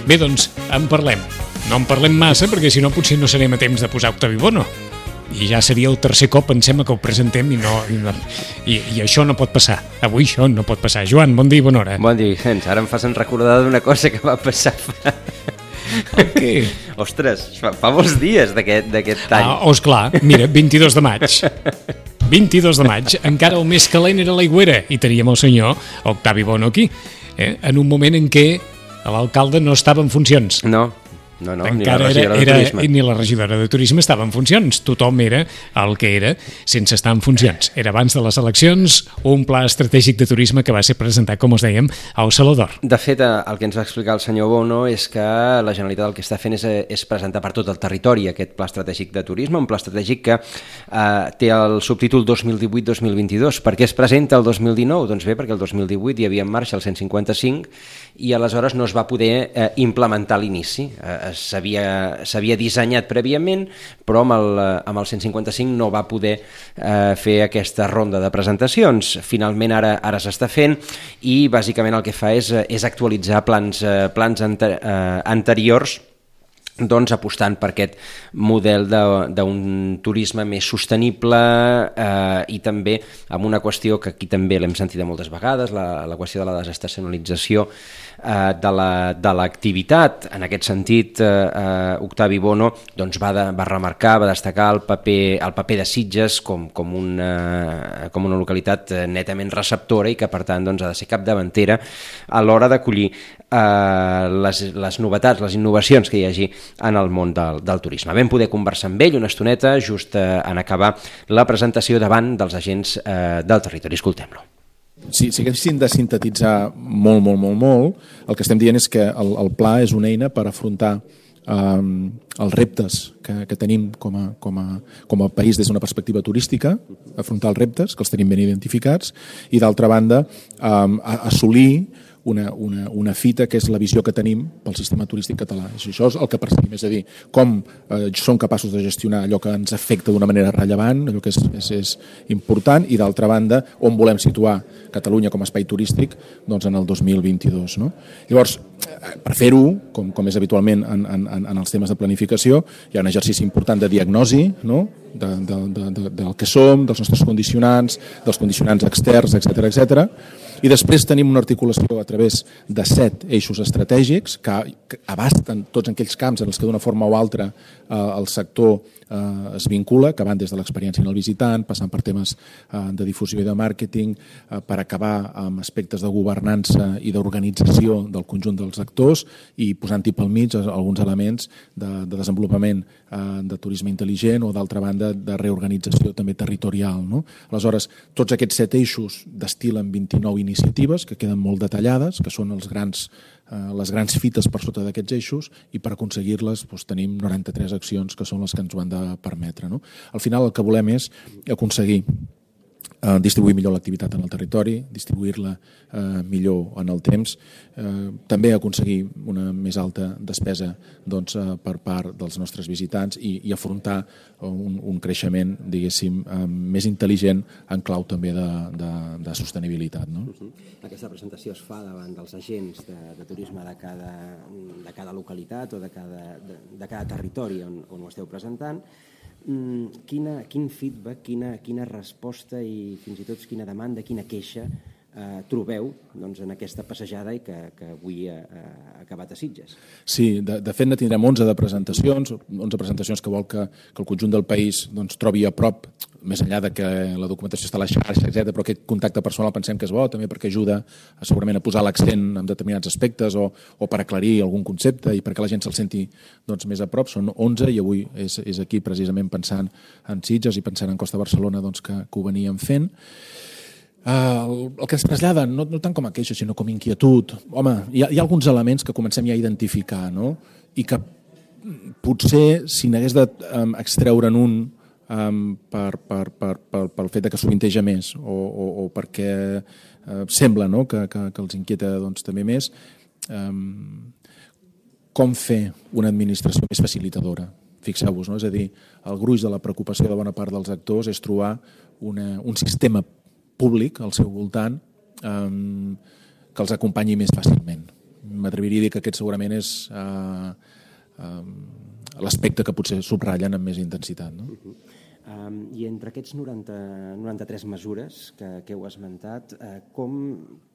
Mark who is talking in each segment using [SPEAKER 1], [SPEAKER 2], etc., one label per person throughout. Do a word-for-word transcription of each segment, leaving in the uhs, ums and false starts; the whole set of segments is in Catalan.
[SPEAKER 1] Bé, doncs, en parlem. No en parlem massa, perquè si no potser no serem a temps de posar Octavi Bono. I ja seria el tercer cop, pensem, que ho presentem i, no, i, no, i, i això no pot passar. Avui això no pot passar. Joan, bon dia i bona hora.
[SPEAKER 2] Bon dia, Vicenç. Ara em fas recordar d'una cosa que va passar fa...
[SPEAKER 1] El què?
[SPEAKER 2] Ostres, fa, fa molts dies d'aquest any.
[SPEAKER 1] Ah, oh, esclar, mira, vint-i-dos de maig. vint-i-dos de maig, encara el més calent era l'aigüera i teníem el senyor Octavi Bono aquí, eh? En un moment en què l'alcalde no estava en funcions.
[SPEAKER 2] No. No, no,
[SPEAKER 1] encara
[SPEAKER 2] ni la regidora
[SPEAKER 1] era,
[SPEAKER 2] de turisme.
[SPEAKER 1] Era, ni la regidora de turisme estava en funcions. Tothom era el que era sense estar en funcions. Era abans de les eleccions un pla estratègic de turisme que va ser presentat, com us dèiem, al Saló d'Or.
[SPEAKER 2] De fet, el que ens va explicar el senyor Bono és que la Generalitat el que està fent és, és presentar per tot el territori aquest pla estratègic de turisme, un pla estratègic que eh, té el subtítol dos mil divuit dos mil vint-i-dos. Per què es presenta el dos mil dinou? Doncs bé, perquè el dos mil divuit hi havia en marxa el cent cinquanta-cinc i aleshores no es va poder eh, implementar a l'inici. Eh, s'havia dissenyat prèviament, però amb el, amb el cent cinquanta-cinc no va poder eh, fer aquesta ronda de presentacions. Finalment ara, ara s'està fent i bàsicament el que fa és, és actualitzar plans, eh, plans ante, eh, anteriors, doncs apostant per aquest model d'un turisme més sostenible eh, i també amb una qüestió que aquí també l'hem sentit moltes vegades, la, la qüestió de la desestacionalització eh, de l'activitat. En aquest sentit, eh, Octavi Bono doncs, va, de, va remarcar, va destacar el paper, el paper de Sitges com, com, una, com una localitat netament receptora i que per tant doncs, ha de ser capdavantera a l'hora d'acollir eh, les, les novetats, les innovacions que hi hagi en el món del, del turisme. Vam poder conversar amb ell una estoneta just eh, en acabar la presentació davant dels agents eh, del territori. Escoltem-lo.
[SPEAKER 3] Si, si haguéssim de sintetitzar molt, molt, molt, molt, el que estem dient és que el, el pla és una eina per afrontar um, els reptes que, que tenim com a, com, a, com a país des d'una perspectiva turística, afrontar els reptes, que els tenim ben identificats, i d'altra banda um, assolir Una, una, una fita que és la visió que tenim pel sistema turístic català. Això és el que perseguim, és a dir, com eh, som capaços de gestionar allò que ens afecta d'una manera rellevant, allò que és, és, és important, i d'altra banda, on volem situar Catalunya com a espai turístic doncs en el dos mil vint-i-dos. No? Llavors, per fer-ho, com, com és habitualment en, en, en els temes de planificació, hi ha un exercici important de diagnosi, no? de, de, de, de, del que som, dels nostres condicionants, dels condicionants externs, etcètera, etcètera. I després tenim una articulació a través de set eixos estratègics que, que abasten tots aquells camps en els que d'una forma o altra eh, el sector eh, es vincula, que van des de l'experiència en el visitant, passant per temes eh, de difusió i de màrqueting, eh, per acabar amb aspectes de governança i d'organització del conjunt dels actors i posant-hi pel mig alguns elements de, de desenvolupament eh, de turisme intel·ligent o d'altra banda de reorganització també territorial. No? Aleshores, tots aquests set eixos destil·len vint-i-nou iniciatives que queden molt detallades, que són els grans, eh, les grans fites per sota d'aquests eixos, i per aconseguir-les doncs, tenim noranta-tres accions que són les que ens ho han de permetre. No? Al final el que volem és aconseguir eh, distribuir millor l'activitat en el territori, distribuir-la eh, millor en el temps, eh, també aconseguir una més alta despesa doncs, eh, per part dels nostres visitants i, i afrontar un, un creixement, diguéssim, eh, més intel·ligent en clau també de, de, de sostenibilitat. No?
[SPEAKER 2] Aquesta presentació es fa davant dels agents de, de turisme de cada, de cada localitat o de cada, de, de cada territori on, on ho esteu presentant. Quina, quin feedback, quina, quina resposta i fins i tot quina demanda, quina queixa eh, trobeu doncs, en aquesta passejada i que, que avui ha, ha acabat a Sitges?
[SPEAKER 3] Sí, de, de fet ne tindrem onze de presentacions, onze presentacions que vol que, que el conjunt del país doncs, trobi a prop, més enllà de que la documentació està a la xarxa, etcètera, però aquest contacte personal pensem que és bo, també perquè ajuda a, segurament a posar l'accent en determinats aspectes o, o per aclarir algun concepte i perquè la gent se'l senti doncs, més a prop. Són onze i avui és, és aquí precisament pensant en Sitges i pensant en Costa Barcelona doncs, que, que ho veníem fent. Uh, el, el que ens trasllada, no, no tant com a queixa, sinó com a inquietud. Home, hi ha, hi ha alguns elements que comencem ja a identificar, no? I que potser, si n'hagués d'extreure'n un Um, per, per, per, per, pel fet que sovinteja més o, o, o perquè uh, sembla no? que, que, que els inquieta doncs, també més, um, com fer una administració més facilitadora. Fixeu-vos, no? És a dir, el gruix de la preocupació de bona part dels actors és trobar una, un sistema públic al seu voltant um, que els acompanyi més fàcilment. m'atreviria a dir que aquest segurament és uh, uh, l'aspecte que potser subratllen amb més intensitat. No?
[SPEAKER 2] Uh-huh. Um, I entre aquests noranta, noranta-tres mesures que, que heu esmentat, uh, com,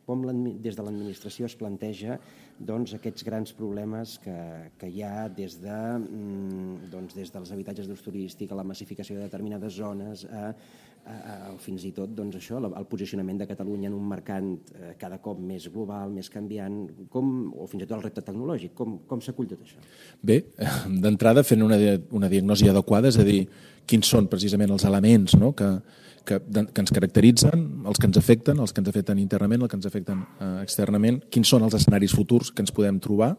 [SPEAKER 2] com des de l'administració es planteja doncs, aquests grans problemes que, que hi ha des, de, mm, doncs, des dels habitatges d'ús turístic a la massificació de determinades zones, a, a, a fins i tot doncs, això, el posicionament de Catalunya en un mercat eh, cada cop més global, més canviant, com, o fins i tot el repte tecnològic, com, com s'acull tot això?
[SPEAKER 3] Bé, d'entrada fent una, una diagnosi adequada, és a dir, quins són precisament els elements, no?, que, que, que ens caracteritzen, els que ens afecten, els que ens afecten internament, els que ens afecten eh, externament, quins són els escenaris futurs que ens podem trobar,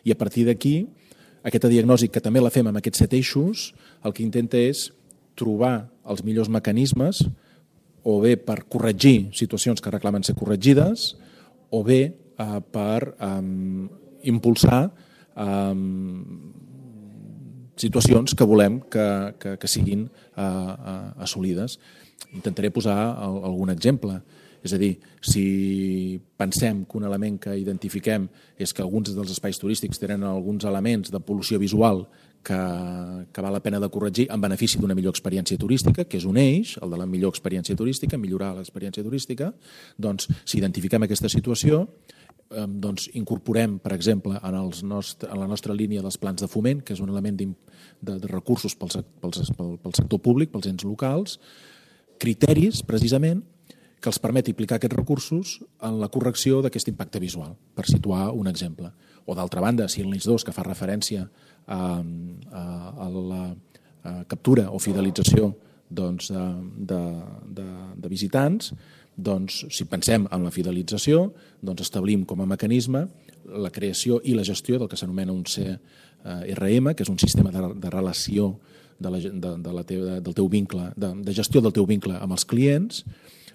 [SPEAKER 3] i a partir d'aquí, aquesta diagnosi, que també la fem amb aquests set eixos, el que intenta és trobar els millors mecanismes, o bé per corregir situacions que reclamen ser corregides, o bé eh, per eh, impulsar eh, situacions que volem que, que, que siguin uh, uh, assolides. Intentaré posar el, algun exemple. És a dir, si pensem que un element que identifiquem és que alguns dels espais turístics tenen alguns elements de pol·lució visual que, que val la pena de corregir en benefici d'una millor experiència turística, que és un eix, el de la millor experiència turística, millorar l'experiència turística, doncs si identifiquem aquesta situació, doncs incorporem, per exemple, en, els nostre, en la nostra línia dels plans de foment, que és un element de, de recursos pel, pel, pel sector públic, pels ens locals, criteris, precisament, que els permet aplicar aquests recursos en la correcció d'aquest impacte visual, per situar un exemple. O d'altra banda, si el N I S dos, que fa referència a, a, a la a captura o fidelització doncs, de, de, de, de visitants, doncs, si pensem en la fidelització, doncs establim com a mecanisme la creació i la gestió del que s'anomena un C R M, que és un sistema de, de relació de la, de, de la teva, del teu vincle, de, de gestió del teu vincle amb els clients,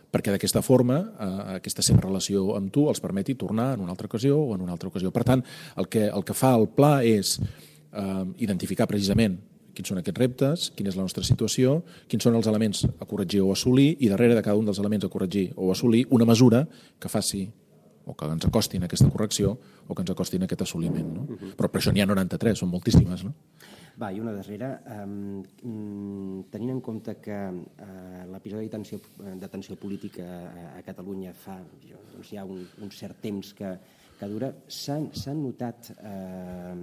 [SPEAKER 3] perquè d'aquesta forma eh, aquesta seva relació amb tu els permeti tornar en una altra ocasió o en una altra ocasió. Per tant, el que, el que fa el pla és eh, identificar precisament quins són aquests reptes, quina és la nostra situació, quins són els elements a corregir o assolir, i darrere de cada un dels elements a corregir o assolir una mesura que faci o que ens acostin a aquesta correcció o que ens acostin a aquest assoliment. No? Uh-huh. Però per això n'hi ha noranta-tres, són moltíssimes. No?
[SPEAKER 2] Va, i una darrera. Um, tenint en compte que uh, l'episodi d'atenció, d'atenció política a, a Catalunya fa doncs, ja un, un cert temps que, que dura, s'han, s'han notat uh,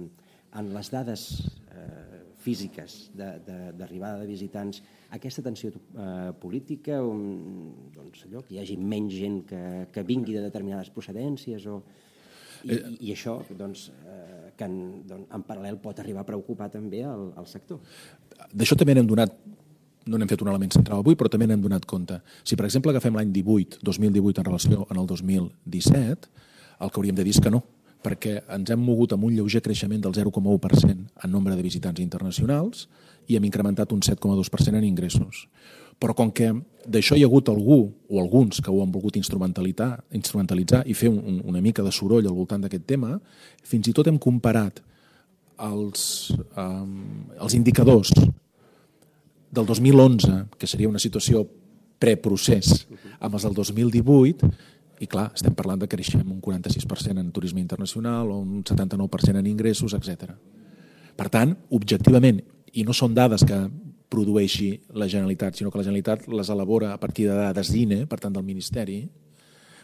[SPEAKER 2] en les dades uh, físiques d'arribada de, de, de visitants aquesta tensió eh, política, on, doncs allò, que hi hagi menys gent que, que vingui de determinades procedències o, i, eh, i això doncs, eh, que en, doncs, en paral·lel pot arribar a preocupar també el, el sector.
[SPEAKER 3] D'això també n'hem donat, no n'hem fet un element central avui, però també n'hem donat compte. Si per exemple agafem l'any divuit, dos mil divuit en relació amb el dos mil disset, el que hauríem de dir és que no, perquè ens hem mogut amb un lleuger creixement del zero coma u per cent en nombre de visitants internacionals i hem incrementat un set coma dos per cent en ingressos. Però com que d'això hi ha hagut algú o alguns que ho han volgut instrumentalitzar, instrumentalitzar i fer un, una mica de soroll al voltant d'aquest tema, fins i tot hem comparat els, um, els indicadors del dos mil onze, que seria una situació preprocés, amb els del dos mil divuit, i clar, estem parlant de que creixem un quaranta-sis per cent en turisme internacional o un setanta-nou per cent en ingressos, etcètera. Per tant, objectivament, i no són dades que produeixi la Generalitat, sinó que la Generalitat les elabora a partir de dades d'I N E, per tant del Ministeri,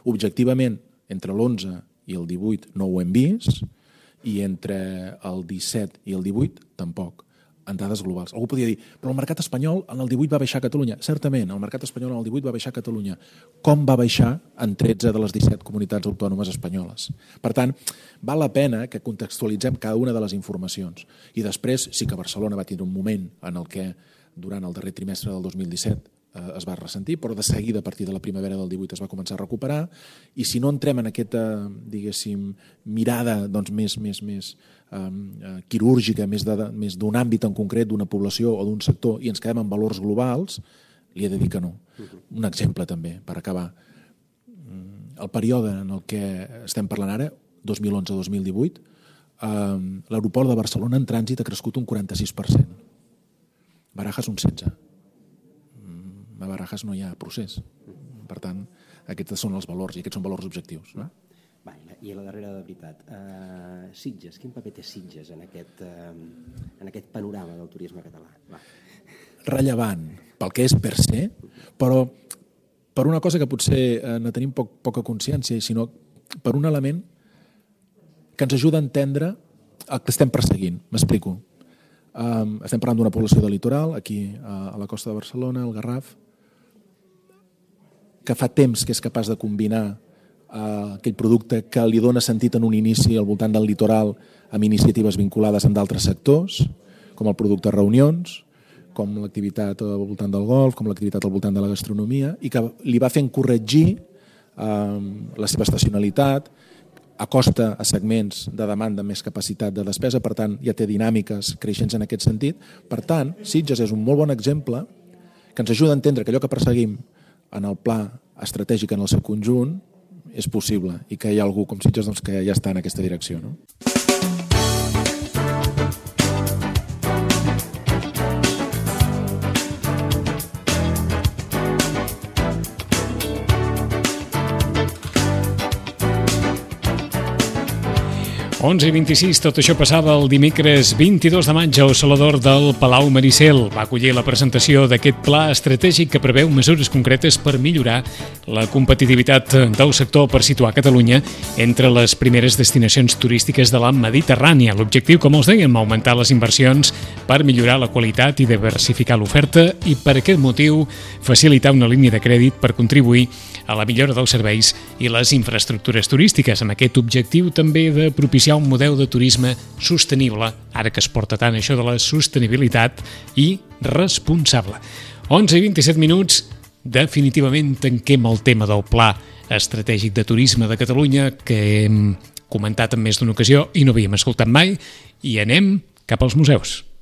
[SPEAKER 3] objectivament, entre l'onze i el divuit no ho hem vist, i entre el disset i el divuit tampoc, en dades globals. Algú podria dir, però el mercat espanyol en el divuit va baixar a Catalunya. Certament, el mercat espanyol en el divuit va baixar a Catalunya. Com va baixar en tretze de les disset comunitats autònomes espanyoles? Per tant, val la pena que contextualitzem cada una de les informacions. I després sí que Barcelona va tindre un moment en el que durant el darrer trimestre del dos mil disset eh, es va ressentir, però de seguida a partir de la primavera del divuit es va començar a recuperar, i si no entrem en aquesta, diguéssim, mirada doncs, més, més, més eh, quirúrgica, més, de, més d'un àmbit en concret, d'una població o d'un sector, i ens quedem en valors globals, li he de dir que no. Un exemple també, per acabar. El període en el que estem parlant ara, dos mil onze dos mil divuit, eh, l'aeroport de Barcelona en trànsit ha crescut un quaranta-sis per cent. Barajas un setze per cent. A Barajas no hi ha procés. Per tant, aquests són els valors i aquests són valors objectius. No?
[SPEAKER 2] Va, i a la darrera de veritat, uh, Sitges, quin paper té Sitges en aquest, uh, en aquest panorama del turisme català? Va.
[SPEAKER 3] Rellevant pel que és per se, però per una cosa que potser eh, no tenim poc, poca consciència, sinó per un element que ens ajuda a entendre el que estem perseguint. M'explico. Um, estem parlant d'una població de litoral, aquí a, a la costa de Barcelona, al Garraf, que fa temps que és capaç de combinar uh, aquell producte que li dona sentit en un inici al voltant del litoral amb iniciatives vinculades amb d'altres sectors, com el producte reunions, com l'activitat al voltant del golf, com l'activitat al voltant de la gastronomia, i que li va fent corregir eh, la seva estacionalitat, acosta a segments de demanda amb més capacitat de despesa, per tant, ja té dinàmiques creixents en aquest sentit. Per tant, Sitges és un molt bon exemple que ens ajuda a entendre que allò que perseguim en el pla estratègic en el seu conjunt és possible i que hi ha algú com Sitges doncs, que ja està en aquesta direcció, no?
[SPEAKER 1] onze i vint-i-sis, tot això passava el dimecres vint-i-dos de maig al Saló d'Or del Palau Maricel. Va acollir la presentació d'aquest pla estratègic que preveu mesures concretes per millorar la competitivitat del sector per situar Catalunya entre les primeres destinacions turístiques de la Mediterrània. L'objectiu, com els dèiem, augmentar les inversions per millorar la qualitat i diversificar l'oferta i, per aquest motiu, facilitar una línia de crèdit per contribuir a la millora dels serveis i les infraestructures turístiques, amb aquest objectiu també de propiciar un model de turisme sostenible, ara que es porta tant això de la sostenibilitat, i responsable. onze i vint-i-set minuts, definitivament tanquem el tema del Pla Estratègic de Turisme de Catalunya, que hem comentat en més d'una ocasió i no havíem escoltat mai, i anem cap als museus.